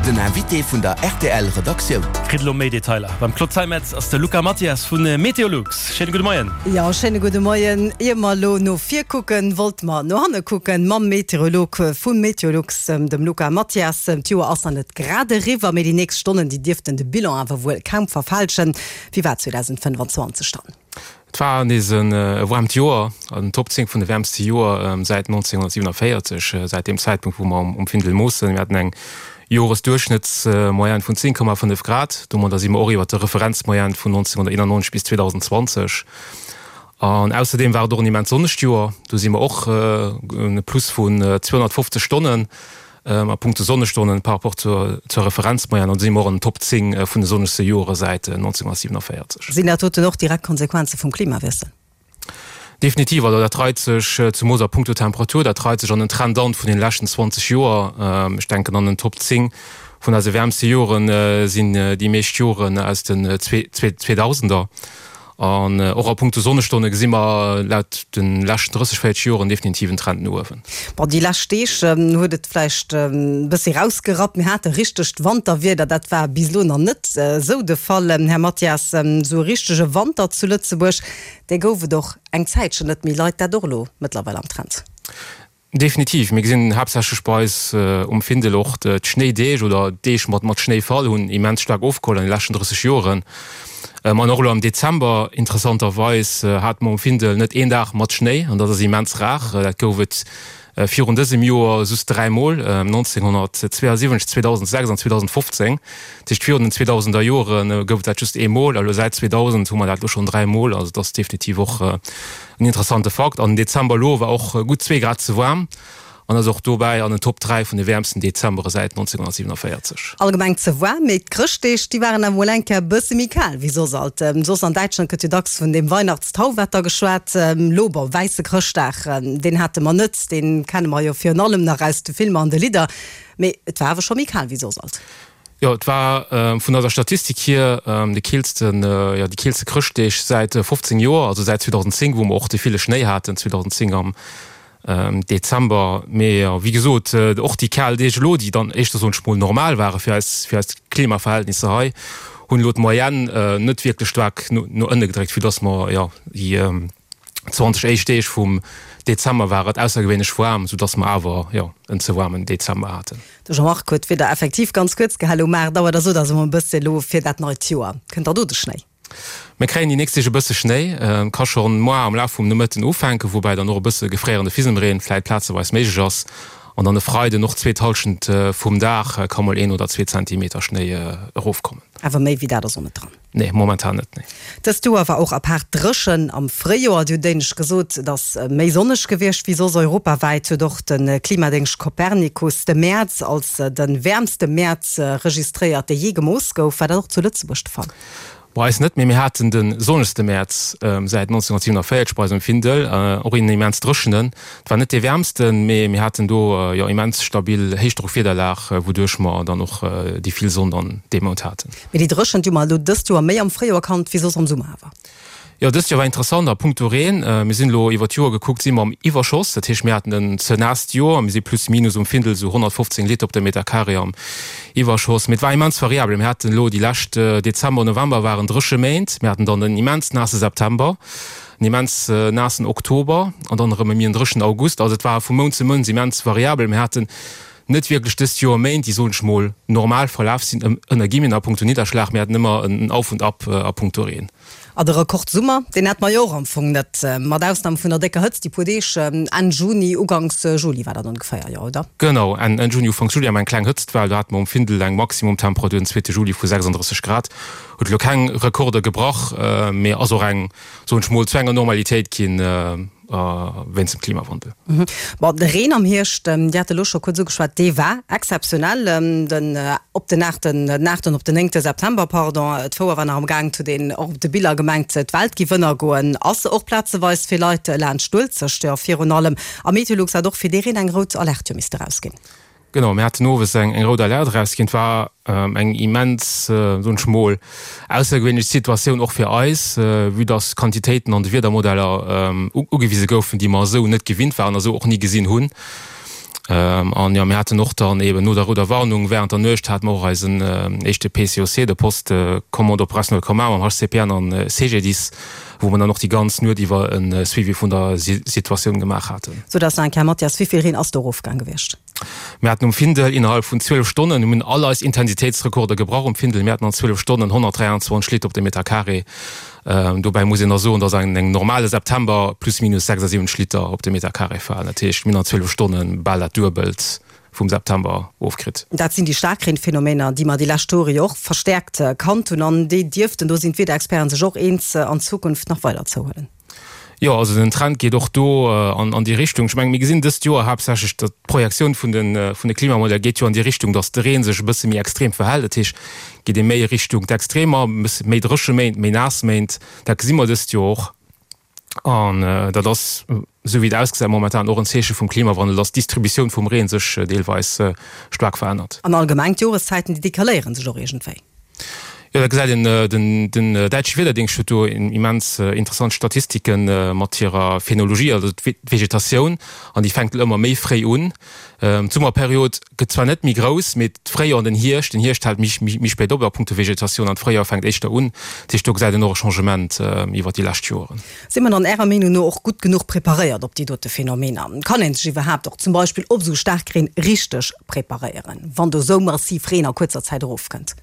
Den Invité vun der rtl Redaktioun. Kritt elo méi Detailer. Beim Claude Zeimetz ass de Luca Mathias vu Meteolux. Schéine gudde Moien. Jo, schéine gudde Moien. Ier mer elo no vir kucken, wollte mer no hanne kucken mam Meteorolog vu Meteolux, dem Luca Mathias. D'Joer ass nach net grad eriwwer, mee déi nächst Stonnen, déi dierften de Bilan awer wuel kaum verfälschen. Wéi war 2025 dann? Et war nees e waarmt Joer, an den Top 10 vun de wäermste Joer säit 1947, säit deem Zäitpunkt wou mer um Findel moossen. Mir haten eng Joresduerchschnëttsmoyenne vun 10,5 Grad. Domadder si mer och iwwer der Referenzmoyenne vun 1991 bis 2020. An ausserdeem war et och en immens sonnegt Joer. Do si mer och e Plus vun 250 Stonnen. A punkto Sonnestonnen par rapport zur Referenzmoyenne, an do si mer och an den Top 10 vun de sonnegste Jore säit 1947. Sinn dat doten och direkt Konsequenze vum Klimawiessel? Definitiv. Also dat reit sech, zemoos a punkto Temperatur, dat reit sech an den Trend an vun den leschten 20 Joer. Ech denken an den Top 10 vun eise wäermste Joren sinn déi meescht Joren aus den Zweedausender. An och a punkto Sonnestonne gesi mer laut de leschten 30, 40 Joren definitiv en Trend no uewen. Bon, déi lescht Deeg huet et vläicht e bëssi rausgerappt. Mir hate richtegt Wanterwieder, dat war bis elo nach net esou de Fall, Här Mathias. Esou e richtege Wanter zu Lëtzebuerg, dee gouf et och eng Zäitchen net méi. Leit dat och elo mëttlerweil am Trend? Definitiv. Mir gesinn haaptsächlech bei eis um Findel och d'Schnéideeg oder d'Deeg mat mat Schnéifall hunn immens staark ofgeholl an de leschten 30 Joren. An och elo am Dezember interessanterweis hate mer um Findel net een Dag mat Schnéi an dat ass immens rar. Dat gouf et virun dësem Joer just dräimol, 1972, 2006 an 2015. Dat heescht virun den 2000er Jore gouf et dat just eemol a lo säit 2000 hu mer dat elo schonn dräimol. Also et ass definitiv och En interessante Fakt, an den Dezember elo war och gutt zwee Grad ze waarm an ass och dobäi an den Top 3 vun de wäermsten Dezembere säit 1947. Allgemeng ze waarm, mee d'Chrëschtdeeg, déi waren awer mol eng Kéier e bësse méi kal wéi soss alt. Soss an Däitschland gëtt jo dacks vun deem Weihnachtstauwetter geschwat. Elo, bon, wäisse Chrëschtdag, deen hate mer net, dee kenne mer jo virun allem nach aus de Filmer an de Lidder, mee et war awer scho méi kal wéi soss alt. Jo, et war vun eiser Statistik hier de keelsten, jo, déi keelste Chrëschtdeeg säit 15 Joer, also säit 2010, wou mer och dee ville Schnéi haten 2010 am Dezember. Mee jo, wéi gesot, och déi kal Deeg elo, déi dann éischter, soen ech mol, normal ware fir eis, fir eis Klimaverhältnisser hei, hunn elo d'Moyenne net wierklech staark no ënne gedréckt, vue dass mer, jo, déi 20 éischt Deeg vum Dezember war et aussergewéinlech waarm, soudass mer awer, jo, en ze waarmen Dezember haten. De Jean-Marc huet d'Wieder effektiv ganz kuerz gehalen. Um 8 Auer, da sot also mol e bësse elo fir dat neit Joer. Kënnt da do de Schnéi? Mir kréien déi nächst Deeg e bësse Schnéi. Et ka schonn moar am Laf vum Nomëtten ufänken, woubäi dann och e bësse gefréierende Fisemreen vläit plazeweis méiglech ass. An dann e Freiden och d'zweet Hallschent vum Dag ka mol een oder zwee Zentimeter Schnéi erofkommen. Awer méi wéi dat ass och net dran. Nee, momentan net, nee. Dëst Joer war och apaart dréchen am Fréijoer. Dir hutt éinescht gesot, et ass méi sonneg gewiescht wéi soss. Europawäit huet och de Klimadéngscht Copernicus de Mäerz als de wäermste Mäerz registréiert, dee jee gemooss gouf. War dat och zu Lëtzebuerg de Fall? Bei eis net, mee mir haten de sonnegste Mäerz säit 1947 bei eis um Findel. Och een immens dréchenen. Et war net dee wäermsten, mee mir haten do jo immens stabil Héichdrockwiederlag, wouduerch mer dann och déi vill Sonn dann dee Mount haten. Mee déi Dréchent hu mer elo dëst Joer méi am Fréijoer kannt wéi soss am Summer awer. Jo, dëst Joer war interessant a punkto Reen. Mir sinn elo iwwer d'Joer gekuckt si mer am Iwwerschoss. Dat heescht, mir haten en ze naasst Joer. Mir si plus minus um Findel esou 115 Liter op de Meter carré am Iwwerschoss. Mee et war immens variabel. Mir haten elo déi lescht Dezember, November waren dréche Méint. Mir haten dann en immens naasse September, en immens naassen Oktober an dann erëm e méi en dréchenen August. Also et war vu Mount zu Mount immens variabel. Mir haten net wierklech dëst Joer Méint, déi, soen ech mol, normal verlaf sinn, ënner Guillemeten, a punkto Nidderschlag. Mir haten ëmmer en Auf und Ab a punkto Reen. A de Rekordsummer, deen hate mer jo och am Fong net, mat Ausnam vun der décker Hëtzt déi puer Deeg Enn Juni, Uganks Juli war dat ongeféier, jo, oder? Genau, Enn Juni, Ufanks Juli hat mer eng kleng Hëtztwell. Do hate mer um Findel eng Maximumtemperatur den zweete Juli vu 36 Grad. Huet elo keng Rekorder gebrach, mee ass och eng, soen ech mol, zu enger Normalitéit ginn. Wéinst dem Klimawandel. Bon, de Reen am Hierscht, Dir hat elo scho kuerz ugeschwat, dee war exzeptionell. Den op den aachten, den aachten op den néngte September, pardon, d'Fouer war nach am Gaang, et huet een och op de Biller gemengt, d'Welt giff ënnergoen. Ass se och plazeweis fir Leit laanscht d'Uelzecht, jo virun allem. A Meteolux hat och fir dee Reen eng rout Alerte jo misste rausginn. Genau, mir haten owes eng eng rout Alerte erausginn. Et war eng immens, soen ech mol, aussergewéinlech Situatioun och fir eis, vue dass Quantitéiten an de Wiedermodeller ugewise goufen, déi mer esou net gewinnt waren a esou och ni gesinn hunn. An jo, mir haten och dann eeben no der rouder Warnung während der Nuecht hate mer och eisen éischte PCOC, de Poste Commande Opérationnel Commun mam HCPN an CGDIS, wou mer dann och déi ganz Nuet iwwer e Suivi vun der Situatioun gemaach haten. Sot eis nach eng Kéier, Mathias, wéi vill Reen ass do erofgaang gewiescht? Mir haten um Findel innerhalb vun 12 Stonnen, mir hunn all eis Intensitéitsrekorder gebrach um Findel, mir haten an 12 Stonnen 123 Liter op de Meter carré. Dobäi muss een da soen, dass an engem normale September plus minus 76 Liter op de Meter carré falen. Dat heescht, mir hunn an 12 Stonne bal dat Duebelt vum September ofkritt. Dat sinn déi Staarkreenphenomener, déi mer déi lescht Jore jo och verstäerkt kannt hunn an déi dierften, do sinn d'Wiederexperten sech och eens, an Zukunft nach weider zouhuelen. Jo, also den Trend geet och do an déi Richtung. Ech mengen, mir gesinn dëst Joer haaptsächlech, datt d'Projektioun vun de vun de Klimamodeller geet jo an déi Richtung, datt de Reen sech e bësse méi extrem verhält. Dat heescht, geet ee méi Richtung d'Extremer, e bësse méi dréche Méint, méi naass Méint. Dat gesi mer dëst Joer och. An dat ass, esou wéi et ausgesäit momentan, och en Zeeche vum Klimawandel, datt d'Distributioun vum Reen sech deelweis staark verännert. An allgemeng d'Joreszäiten, déi decaléiere sech och iergendwéi. Jo, dat gesäit een. Den däitsche Wiederdéngscht huet do immens interessant Statistike mat hirer Phänologie, also d'Vegetatioun, an déi fänkt elo ëmmer méi fréi un. D'Summerperiod gëtt zwar net méi grouss, mee d'Fréijoer an den Hierscht, den Hierscht hält méi spéit op a punkto Vegetatioun an d'Fréijoer fänkt éischter un. Dat heescht, do gesäit een och e Changement iwwer déi lescht Joren. Si mer dann Ärer Meenung no och gutt genuch preparéiert op déi dote Phänomener? Kann ee sech iwwerhaapt och zum Beispill op esou Staarkreen richteg preparéieren, wann do esou massiv Reen a kuerzer Zäit erofkënnt?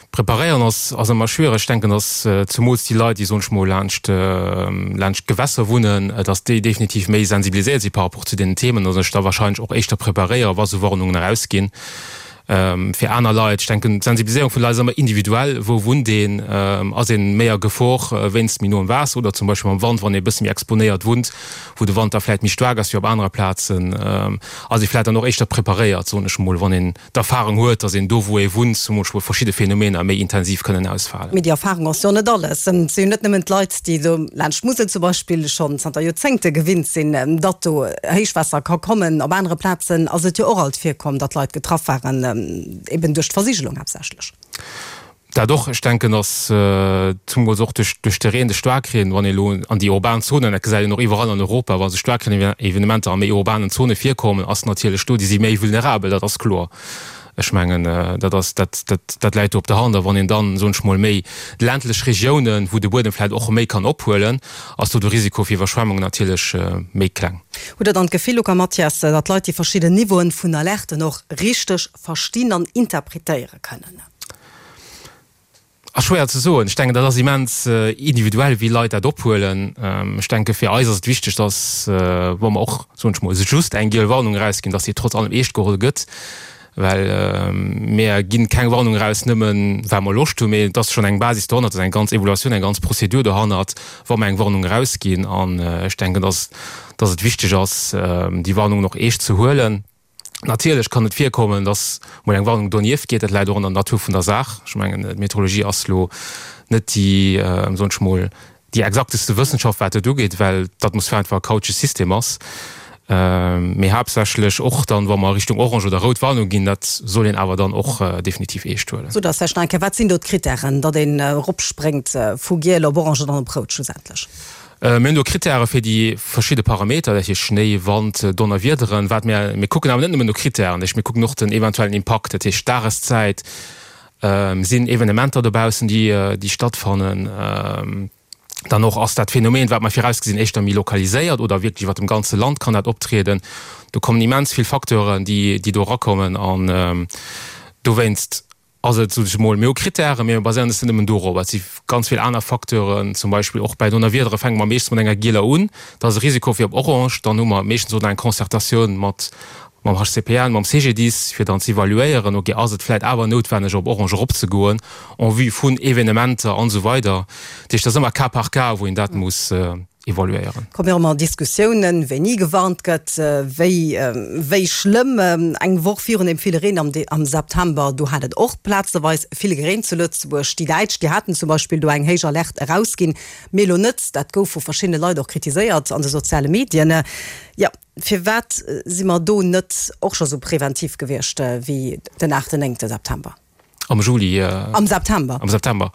Preparéieren ass ass ëmmer schwiereg. Ech denken, datt zemools déi Leit, déi, soen ech mol, laanscht laanscht d'Gewässer wunnen, datt déi definitiv méi sensibiliséiert si par rapport zu deenen Themen a sech da wahrscheinlech och éischter preparéieren, wa sou Warnungen erausginn. Fir aner Leit, ech denken, d'Sensibiliséierung vun de Leit ass ëmmer individuell. Wou wunnt een? Ass een méi a Gefor wéinst méi noem Waasser oder zum Beispill mam Wand, wann ee e bësse méi exponéiert wunnt, wou de Wand da vläicht méi staark ass wéi op anere Plazen, ass ee vläicht dann och éischter preparéiert, soen ech mol, wann een d'Erfahrung huet, dass een do wou ee wunnt zum Beispill verschidde Phänomener méi intensiv kënnen ausfalen. Mee déi Erfahrung ass jo net alles. Et si jo net nëmmen d'Leit, déi do laanscht d'Musel zum Beispill schonn zanter Joerzéngte gewinnt sinn, datt do Héichwaasser ka kommen. Op anere Plazen ass et jo och alt virkomm, datt Leit getraff waren, eben duerch d'Versigelung haaptsächlech. Dat och. Ech denken, datt zumools och duerch de Reen, de Staarkreen, wann ee elo an déi urban Zonen, dat gesäit een och iwwerall an Europa, wa sou Staarkreenevenementer a méi urbanen Zone virkommen, ass natierlech do, déi si méi vulnerabel, dat ass kloer. Ech mengen, dat ass, dat, dat, dat läit do op der Hand. A wann een dann, soen ech mol, méi ländlech Regiounen, wou de Buedem vläicht och méi kann ophuelen, ass do de Risiko fir Iwwerschwemmungen natierlech méi kleng. Hutt Der dann d'Gefill, Luca Mathias, datt d'Leit déi verschidden Niveauen vun Alerten och richteg verstinn an interpretéiere kënnen? Ass schwéier ze soen. Ech denken, dat ass immens individuell, wéi Leit dat ophuelen. Ech denke fir eis ass et wichteg, datt, wa mer och, soen ech mol, just eng giel Warnung erausginn, datt déi trotz allem eescht geholl gëtt. Well mir ginn keng Warnung eraus nëmmen, well mer Loscht hunn, mee et ass schonn eng Basis dohannert, et ass eng ganz Evaluatioun, eng ganz Prozedur dohannert, wa mer eng Warnung erausginn. An ech denken, datt, datt et wichteg ass, déi Warnungen och eescht ze huelen. Natierlech kann et virkommen, dass mol eng Warnung donieft geet. Dat läit och an der Natur vun der Saach. Ech mengen, d'Meteorologie ass lo net déi, soen ech mol, déi exakteste Wëssenschaft, wat dat ugeet, well d'Atmosphär einfach e chaotesche System ass. Mee haaptsächlech och dann, wa mer Richtung orange oder rout Warnung ginn, dat soll een awer dann och definitiv eescht huelen. Sot eis vläicht nach eng Kéier, Wat sinn do d'Krittären, datt een eropspréngt vu giel op orange an dann op rout schlussendlech? Mir hunn do Krittäre fir déi verschidde Parameter, dat heescht Schnéi, Wand, Donnerwiederen. Wat mir, mir kucken awer net nëmmen no Krittären, dat heescht mir kucken och den eventuellen Impakt, dat heescht Dageszäit, sinn Evenementer dobaussen, déi, déi stattfannen, dann och ass dat Phänomen, wat mer virausgesinn, éischter méi lokaliséiert oder wierklech iwwer dem ganze Land kann dat optrieden. Do kommen immens vill Facteuren, déi, déi do erakommen an dowéinst Ass et, sot ech emol, mir hu Krittären, mee mir baséieren eis net nëmmen dorop. Et si ganz vill aner Facteuren, zum Beispill och bäi Donnerwiedere fänke mer meeschtens mat enger gieler un, da ass e Risiko fir op orange, dann hu mer meeschtens och nach eng Concertatioun mat mam HCPN, mam CGDIS, fir dann ze evaluéieren, ok, ass et vläicht awer noutwenneg op orange eropzegoen en vue vun Evenementer an esou weider. Dat heescht, dat ass ëmmer cas par cas, wou een dat muss evaluéieren. Kommen och ëmmer Diskussiounen, wéini gewarnt gëtt, wéi wéi schlëmm. Eng Woch virun deem ville Reen am am September, do hat et och plazeweis vill gereent zu Lëtzebuerg. Déi Däitsch, déi haten zum Beispill do eng héich Alerte erausginn, mir elo net. Dat gouf vu verschiddene Leit och kritiséiert an de soziale Medien. Jo, firwat si mer do net och scho sou preventiv gewiescht wéi den aachten, néngte September? Am Juli. Am September. Am September.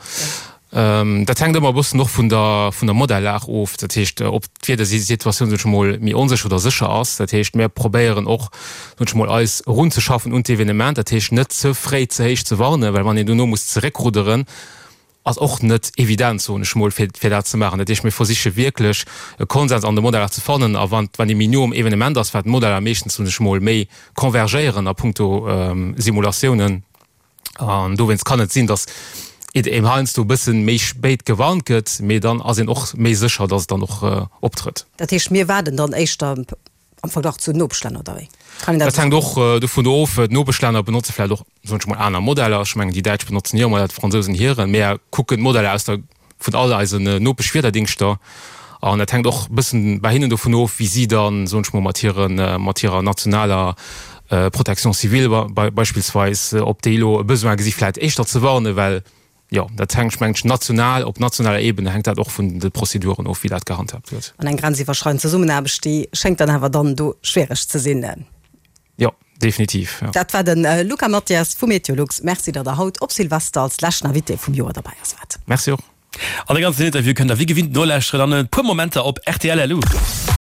Dat hänkt ëmmer e bëssen och vun der, vun der Modellag of, dat heescht, ob d'Wiedersituatioun, soen ech emol, méi onsécher oder sécher ass. Dat heescht, mir probéieren och, soen ech emol, eis erunzeschaffen un d'Evenement, dat heescht net ze fréi ze héich ze warnen, well wann een dono muss zeréckrudderen, ass och net evident, soen ech emol, fir, fir dat ze maachen. Dat heescht, mir versiche wierklech e Konsens an de Modeller ze fannen a wann, wann ee méi no um Evenement ass, wat d'Modeller meeschtens, soen ech emol, méi convergéieren a punkto Simulatiounen, An dowéinst kann et sinn, datt et een heiansdo e bëssen méi spéit gewarnt gëtt, mee dann ass een och méi sécher, datt et dann och optrëtt. Dat heescht, mir waarden dann éischter am Verglach zu den Nopeschlänner, oder wéi kann een dat Dat hänkt och dovun of. D'Nopeschlänner benotze vläicht och, soen ech mol, aner Modeller. Ech mengen, déi Däitsch benotzen hir Modeller, d'Fransousen hiren. Mir kucken d'Modeller aus der vun all eisen Nopeschwiederdéngschter an dat hänkt och e bëssen bei hinnen dovun of, wéi si dann, soen ech mol, mat hiren, mat hirer nationaler Protection civile beispillsweis, ob déi elo e Besoin gesi vläicht éischter ze warnen, well jo, dat hänkt, mengen ech, national, op nationaler Ebene hänkt dat och vun de Prozeduren of, wéi dat gehandhaabt gëtt. An eng grenziwwerschreidend Zesummenaarbecht, déi schéngt dann awer dann do schwiereg ze sinn. Jo, definitiv, jo. Dat war de Luca Mathias vu Meteolux. Merci, datt Der haut op Silvester als leschten Invité vum Joer derbäi ass waart. Merci och. An de ganzen Interview kënnt der wéi gewinnt nolauschteren an e puer Momenter op rtl. Lu.